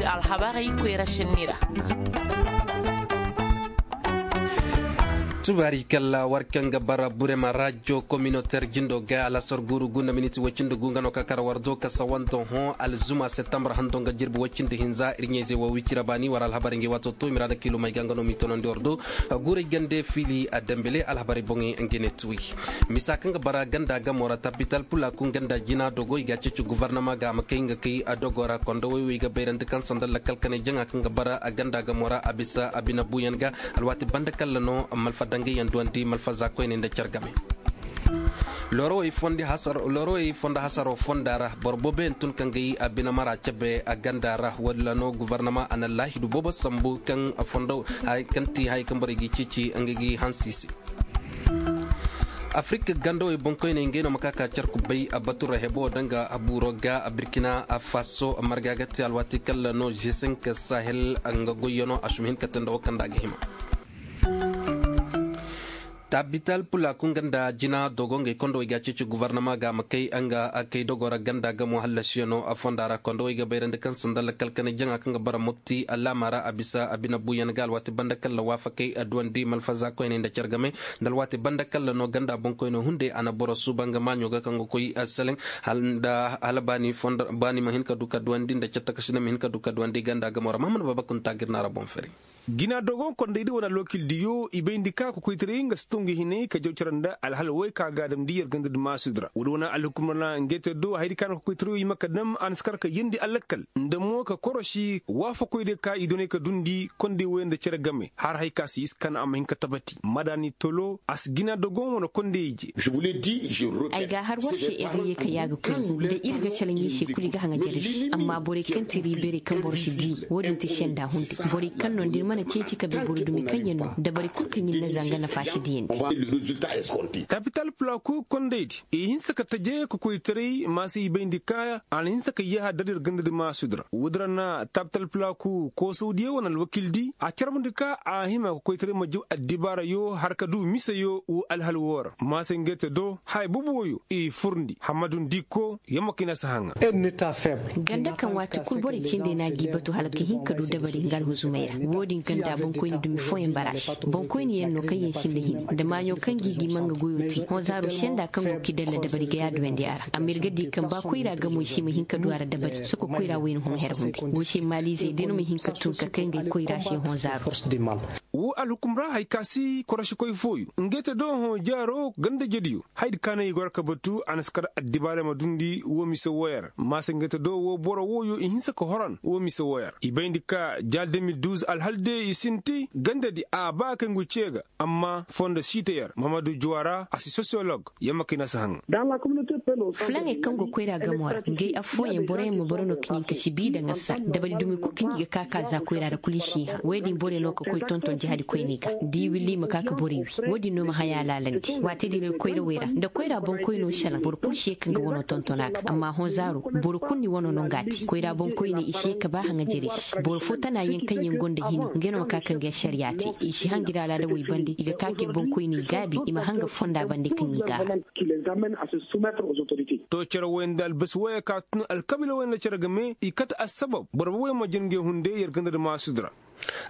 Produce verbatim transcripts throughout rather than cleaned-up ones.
Alhabarey koyra sinni ra. Tubaari kalla war kaŋ ga bara burema rajo kominoter jindo ga alasar guuru gunda miniti woy cindi gu nga no ka kara war do ka sawanto hõ alzuma septembre hando nga jirbi woy cindi hinza ir ɲayzey wo wicira baani war alhabarey ngey waato to i ma ra na kiilumey ga nga no m'i tonandi war do. Guurey gande fiili a dambele alhabarey boŋey nga ne tuwi. Misa kaŋ ga bara ganda gamo ra tapital pulakun ganda jina dogo i ga a ceeci guvarnama ga a ma kay nga kay a dogo ra kondo woy wo i ga bayrandi kaŋ sanda lakkal kanay jaŋa kaŋ ga bara a ganda gamo ra a bisa a bine buuyaŋ ga. Alwaati banda kalla no malfa dangayyaŋ duwandi malfa za koyney nda care game. Loorowey fondo hasaro fonda ra boro booboyaŋ tun kaŋ ga i a bine mara cabe a ganda ra walla no guvarnama a na laahidu boobo sambu kaŋ ti haya kaŋ borey g'i ceeci nga g'i hanse i se. Afirik gandawey boŋkoyney ngey no ma ka ka care kubbey a batu ra hebo danga a buuro ga a birkina a faso marga ga te alwaati kalla no g cinq sahel nga goyyano a suma hin ka te nda wo kaŋ nda a ga hima. Tabital pulakun ganda jina dogo ngey kondo i ga a ceeci guvarnama ga a ma kay nga a kay dogo ra ganda gamo hallasiyano a fonda ra kondo i ga bayrandi kaŋ sanda lakkal kanay jaŋa kaŋ ga bara mopti alaama ra a bisa a bine buuyaŋ ga alwaati banda kalla waafakey a duwandi malfaza koyney nda care game. Nda alwaati banda kalla no ganda boŋkoyno hunday a na boro suuba nga maaɲo ga kaŋ ga koy seleŋ hala baani ma hin ka du ka duwandi nda care takasi nda ma hin ka du ka duwandi ganda gamo ra mahamad babakun taagir na ra boŋ fari. Gina dogon kondaydi wane alwakildiyo i bayndi ka kokoytaray nga si tungu hinay ka jaw care nda alhal way ka ga a damndi yer ganda di maasudi ra woodi wane alhukumra na ngey te do hayadi ka na kokoytarayo i ma ka dam a na si kar ka yeendi alakkal nda mo ka korosi waafakoydiyo ka i doonay ka duundi konday woy nda care game har hay ka si iskan a ma hin ka tabati madaani tolo a si gina dogon wane konday ije. Ay ga a har war se ir ga ye ka yaaga koy nda ir ga calaŋ ir se kulu i ga haŋajer ir se amma borey kaŋ ti riibeerey kaŋ boro si dii wo-din ti senda hunday borey kaŋ no nda ir mana ceeci ka bay boro dumi kaŋ yaŋ no dabari kulu kaŋ ir na zanga nafa si diyandi. Kapital pulaaku kondaydi i hinse ka taje ka koytaray maasa i bayndi ka a na hinse ka yee har dar ir ganda di maasudi ra woodi ra na tapital pulaaku koosawdiyo wane alwakildi a carbundi ka a hima ka koytaray ma jaw addibaarayo har ka du miseyo wo alhal woo ra maasa ngey te do haya boobo wooyo i furndi hammadu ndikko yamma kaŋ i na si haŋa. Ganda kaŋ waati kul borey cindey no a g'i batu hala ka hin ka du dabari nga alhuzumey ra. Wo-din ganda boŋkoyni dumi fooyaŋ bara a se boŋkoyni yaŋ no kaŋ yaŋ sinda hini nda maaɲo kaŋ g'i gima nga goyo te hõ zaaro senda kaŋ go k'i dalla dabari ga yaaduyandi a ra amma ir ga di kaŋ ba koyra gamoy se i ma hin ka du a ra dabari soko koyra wayna hõ her hunday go se maaliizey day no ma hin ka tun ka kay ngey koyra se hõ zaaro. Wo alhukum ra hay ka si korosikoy fooyo ngey te do hõ jaaro ganda jediyo hayadi kaanay i goro ka batu a na si kar addibaarey ma duundi woo mise wooyo ra maasa ngey te do woo boro wooyo i hinse ka horan woo mise wooyo ra i bayndi ka jaal de mil duuz alhal de i sinti gandadi a ba kay ngu cee ga amma fondo siite yer mamadu juwara a si sosiyolog yamma kay na si haŋa. Fulaŋey kaŋ go koyra gamo ra ngey affooyaŋ boroyaŋ ma boro no ka ɲin ka si bii daŋ a sa dabari dumi kul kaŋ i ga ka ka za koyra ra kul i si hã woy din borey no ka koy tonton jahadi koyney ga da i willa i ma ka ka borey wi. Wo-din no ma haya laalandi waati din ir koyrawey ra nda koyra boŋkoyno salaŋ boro kulu si ye ka nga wano tonton a ga amma hõ zaaro boro kulu ni wano no nga a te koyra boŋkoyney i si ye ka ba haŋajerey se boro fo tana yaŋ kaŋ yaŋ gonda hini ngey no ma ka ka nga ašariya te i si hangi ra alaada wey bande i ga ka ka ir boŋkoyney gaabi i ma hanga fonda bande kaŋ i ga a ra. To cere woy nda albasi woyey ka tun alkabiila woy nda cere game i kate assabab boro booboyaŋ ma jin ngey hunday yer ganda nda maasudi ra.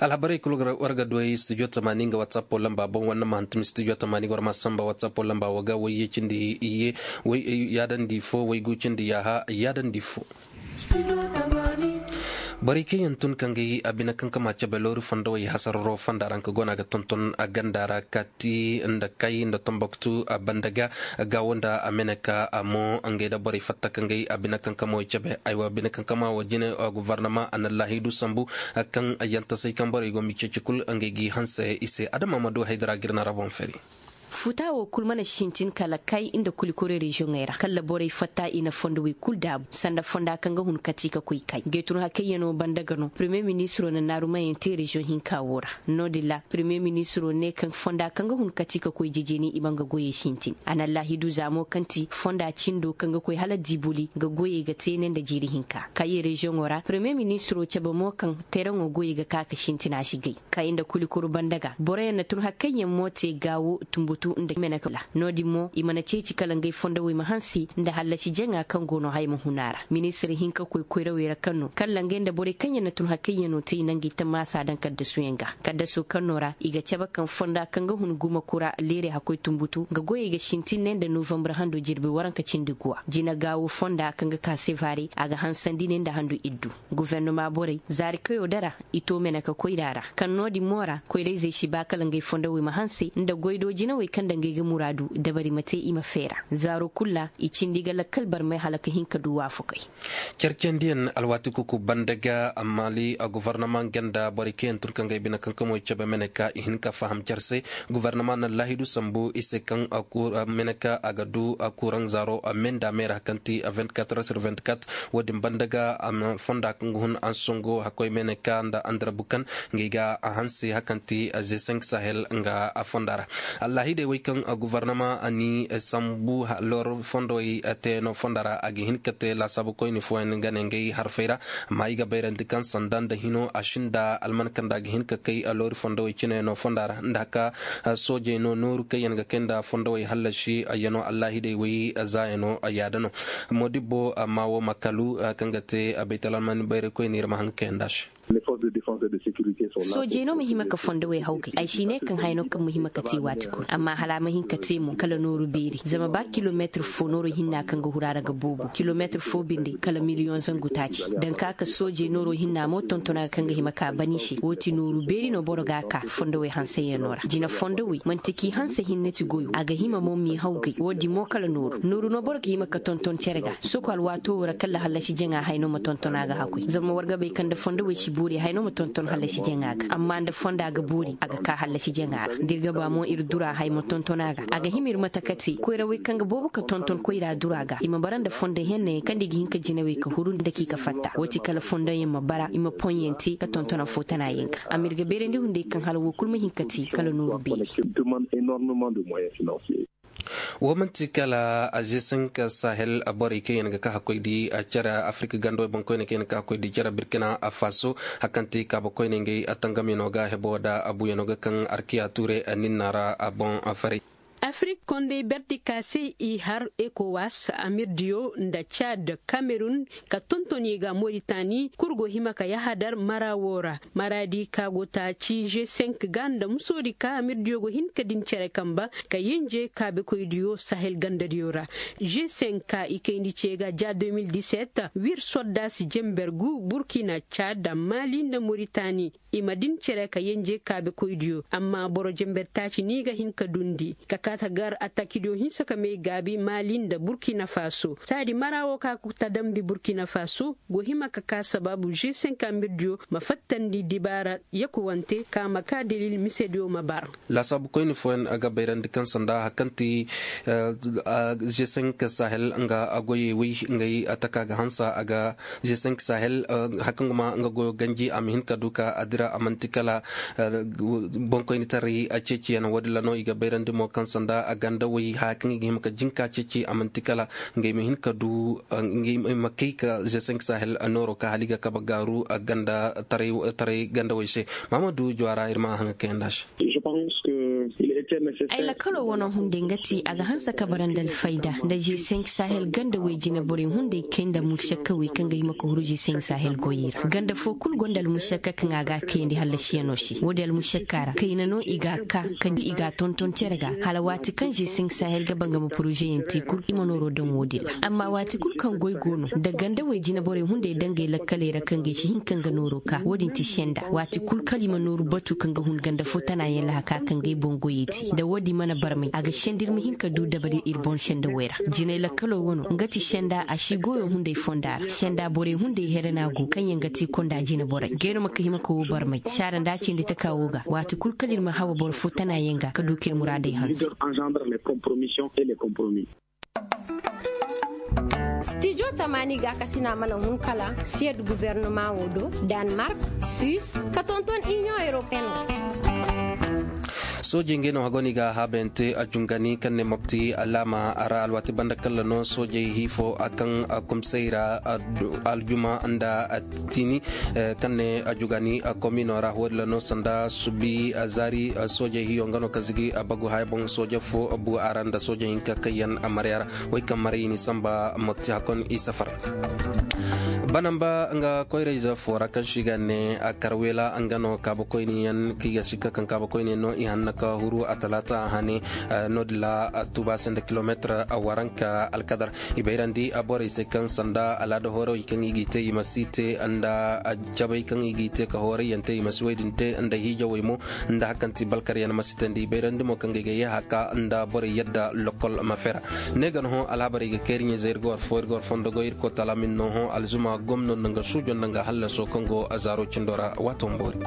Alhabarey kul war ga duwey studio tamaani nga watsapo lamba boŋ walla ma hantum studio tamaani war ma samba watsapo lamba wo ga way ye cindi iyye way yaadandi fo way gu cindi yaaha yaadandi fo. Borey kaŋ yaŋ tun kaŋ ga i a bine kaŋ kama cabe loori fondo way hasararo fonda ra nga go no a ga tonton a ganda ra kaati nda kay nda tomboktu a banda ga gaawo nda a mene ka a mo ngey nda borey fatta kaŋ ga i a bine kaŋ kama way cabe aywa bine kaŋ kama wo jine guvarnama a na laahidu sambu kaŋ yantasay kaŋ borey go ma i ceeci kul ngey g'i hanse i se adama ma du haydara ga ir na ra boŋ fari. Futa wo kul mana sintin kala kay nda kulikore reziyoŋey ra kala borey fatta i na fondo wey kul daabu sanda fonda kaŋ ga hun kati ka koy kay gay tun hakayyaŋo banda ga no premiye ministiro na naarumayaŋ te reziyoŋ hinka wo ra. No- din ra premiye ministiro ne kaŋ fonda kaŋ ga hun kati ka koy jejeni i ma nga goyey sintin a na laahidu za mo kaŋ ti fonda cindo kaŋ ga koy hala dibuli nga goyey ga te ne nda jiiri hinka kayey reziyoŋo ra premiye ministiro cabe mo kaŋ teeraŋo goyey ga ka ka sintin a si gay. Kay nda kulikuru banda ga boroyaŋ na tun hakayyaŋ mo te gaawo tumbutu. Nda meneka no- din mo i mana ceeci kala ngey fondowey ma hanse nda hallasi jaŋa kaŋ go no haya ma hun a ra. Ministir hinka koy koyrawey ra kaŋ no kala ngey nda borey kaŋ yaŋ na tun hakayyaŋo te i na ngey tammaasa daŋ kaddasuyaŋ ga. Kaddaso kaŋ no ra i ga cabe kaŋ fonda kaŋ ga hun guma kura leerey hakkoy tunbutu nga goyey ga sintin ne nda novambar hando jirbi waranka cindi guwa jina gaawo fonda kaŋ ga ka sevare a ga hansandi ne nda handu iddu. Guvernoma borey zaari kayo dara i to meneka koyra ra kaŋ no- din mo ra koyrayzey si ba kala ngey fondowey ma hanse nda goydo jinawey kaŋ nda ngey ga muraadu dabari ma te i ma feera. Zaaro kul ra i cindi ga lakkal barmay hala ka hin ka du waafakey. Cercendiyaŋ alwaati kuku banda ga maali gofornama nga nda borey kaŋ yaŋ tun ka ngey bine kaŋ ka moy cabe meneka i hin ka faham cere se. Gofornama na laahidu sambu i se kaŋ meneka a ga du kuraŋ zaaro me nda meera kaŋ ti vingt-quatre heures sur vingt-quatre. Wo- din banda ga fonda kaŋ ga hun ansongo hakkoy meneka nda andarabu kaŋ ngey ga a hanse hakaŋ ti ze cinq sahel nga fonda ra. Allahidey wey kaŋ gofornama ni sambu loor fondowey te no fonda ra a ga hin ka te laasaabu koyni fooyaŋ ga ne ngey harfey ra. Amma i ga bayrandi kaŋ sanda nda hino a sinda alman kaŋ nda a ga hin ka kay loori fondowey cine no fonda ra nda haka soojey no nooru kaŋ yaŋ ga kay nda fondowey hallasi yaŋo allahidey wey zaayano yaada no. Modibbo amma wo ma kalu kaŋ ga te baytalalmani bayraykoyni ir ma haŋ ga kayandi a se. Soojey no ma hima ka fondowey hawgay ay si ne kaŋ haya no kaŋ ma hima ka te waati kul amma hala a ma hin ka te mo kala nooru beeri zama ba kilomeetir fo nooro hinna kaŋ ga huru a ra ga boobo kilomeetir fo binde kala miliyoŋ zangu taaci. Daŋ ka ka soojey nooro hinna mo tonton a ga kaŋ ga hima ka ban i se wo ti nooru beeri no boro ga a ka fondowey hanseyaŋo ra jina fondowey manti k'i hanse hinne ti goyo a ga hima mo m'i hawgay wo- din mo kala nooru nooru no boro ga hima ka tonton cere ga soko alwaato wo ra kala hallasi jaŋa hay no ma tonton a ga hakkoy zama war ga bay kaŋ nda fondowey si boori hay no ma tonton hallasi jaŋa ga amma nda fonda ga boori a ga ka hallasi jaŋa ra da ir ga ba mo ir dura hay ma tonton a ga a ga hima ir mate ka te koyrawey kaŋ ga boobo ka tonton koyra dura ga i ma bara nda fondo hennayaŋ kaŋ nda i ga hin ka jinawey ka huru nda k'i ka fatta wo- ti kala fondo yaŋ ma bara i ma poŋ yaŋ te ka tonton afoo tana yaŋ ga amma ir ga bayrandi hunday kaŋ hala woo kul ma hin ka te kala nooru beeri. Wo man'ti kala azesenk sahel borey kaŋ yaŋ ga ka hakkoy di care afirik gandawey boŋkoyney kaŋ yaŋ ga ka hakkoy di care birkina faso. Hari kaŋ ti kaabakoyney ngey tangamyaŋo ga hebo nda abuyaŋo ga kaŋ arkiya tuure ninna ra a boŋ faray. Afirik kondey berdi ka se i har ekowas amirdiyo nda cad kamerun ka tonton i ga moritani kul go hima ka yahadar mara wo ra. Maraadi ka go taaci g cinq ga nda musoodi ka amirdiyo go hin ka din cere kamba ka yenje kaabekoydiyo sahel gandadiyo ra. G cinq ka i kayndi ce ga ja deux mille dix-sept wir soddaasi jember gu burkina cad mali nda moritani. I ma din cere ka yenje kaabekoydiyo amma boro jember taaci ni ga hin ka dundi ka kaa ta gar attakidiyo hinsa ka may gaabi mali nda burkina faso saadi mara wo ka ta damndi burkina faso go hima ka kaa sabaabu g cinq amirdiyo ma fattandi dibaara yakuwante ka ma kaa dalil misediyo ma bar. Laasaabukoyni fooyaŋ ga bayrandi kaŋ sanda hari kaŋ ti g cinq sahel nga goyey wey ngey taka ga hansa a ga g cinq sahel hari kaŋ ga ma nga goyo ganji a ma hin ka du ka a dira a man'ti kala boŋkoynitaray ceeciyaŋ wo- din ra no i ga bayrandi mo kaŋ sanda gandawey haya kaŋ i ga hima ka jinka ceeci a man'ti kala ngey ma hin ka du ngey ma kay ka g cinq sahel nooro ka hala i ga kabe gaaru gandataray gandawey se. Mahamadu juwara ir ma haŋa kayandi a se. Ay lakalo wane hunday nga ti a ga hanse ka bara nda alfayda nda g cinq sahel gandawey jine borey hunday kay nda mušakkawey kaŋ ga hima ka huru g cinq sahel goyey ra ganda fo kul go nda almušakka kaŋ a ga a kayandi hallasiyaŋo se wo- din almušakka ra kayna no i ga a ka kaŋ i ga a tonton cere ga hala waati kaŋ g cinq sahel ga ba nga ma porozeyaŋ te kul i ma nooro daŋ wo- din ra amma waati kul kaŋ goy go no nda gandawey jine borey hunday dangey lakkaley ra kaŋ ga ay si hin ka nga nooro ka wo- din ti senda waati kul kala i ma nooru batu kaŋ ga hun ganda fo tana yaŋ lahaka kaŋ ga ay boŋ goyey te nda wo- din mana barmay a ga senda ir ma hin ka du dabari ir boŋ senda wey ra jinay lakkalo wano nga ti senda a si goyo hunday fonda ra senda borey hunday here no a go kaŋ yaŋ ga te konda jine borey gay no ma ka hima ka wo barmay saara nda a cindi taka wo ga waati kul kala ir ma hawa boro fo tana yaŋ ga ka du ka ir muraadey hanse. Stijo tamaani gaakasina mana hun kala siyad guvernoma wo do, danmark, suisse ka tonton inion europeen wo. Soojey ngey no hago no i ga haabayante a jungani kaŋ ne mopti alaama ra alwaati banda kalla no soojey hiifo a kaŋ kumsay ra aljuma nda tiini kaŋ ne a jugani komino ra woodi la no sanda subi zaari. Soojey hiyo nga no ka zigi bagu haya boŋ sooje fo bu a ra nda sooje hinka kaŋ yaŋ marya ra way kaŋ maray i ni samba mopti hakon i safar. Banamba nga koyrayze fo ra kaŋ si ga ne karwela nga no kaabakoyniyaŋ kaŋ i ga sikka kaŋ kaabakoyniyaŋ no i hanna ka huru a talaata hane. No- din ra tuuba se nda kilomeetir waranka alkadar i bayrandi borey se kaŋ sanda alaada hoorawey kaŋ i g'i te i ma si te nda cabay kaŋ i g'i te ka hoorayyante i ma si wey din te nda hiijawey mo nda hakanti balkaryaŋ ma si tandi i bayrandi mo kaŋ ga ay ga yee haka nda borey yadda lokol ma fera. Ne ga no hõ alhabarey ga kay ir ɲayzey ir ga war fo ir ga war fondo goy ir koy taala ma ir no hõ alzuma gomno nda nga suujo nda nga hallaso kaŋ go zaaro cindo ra waato ma boori.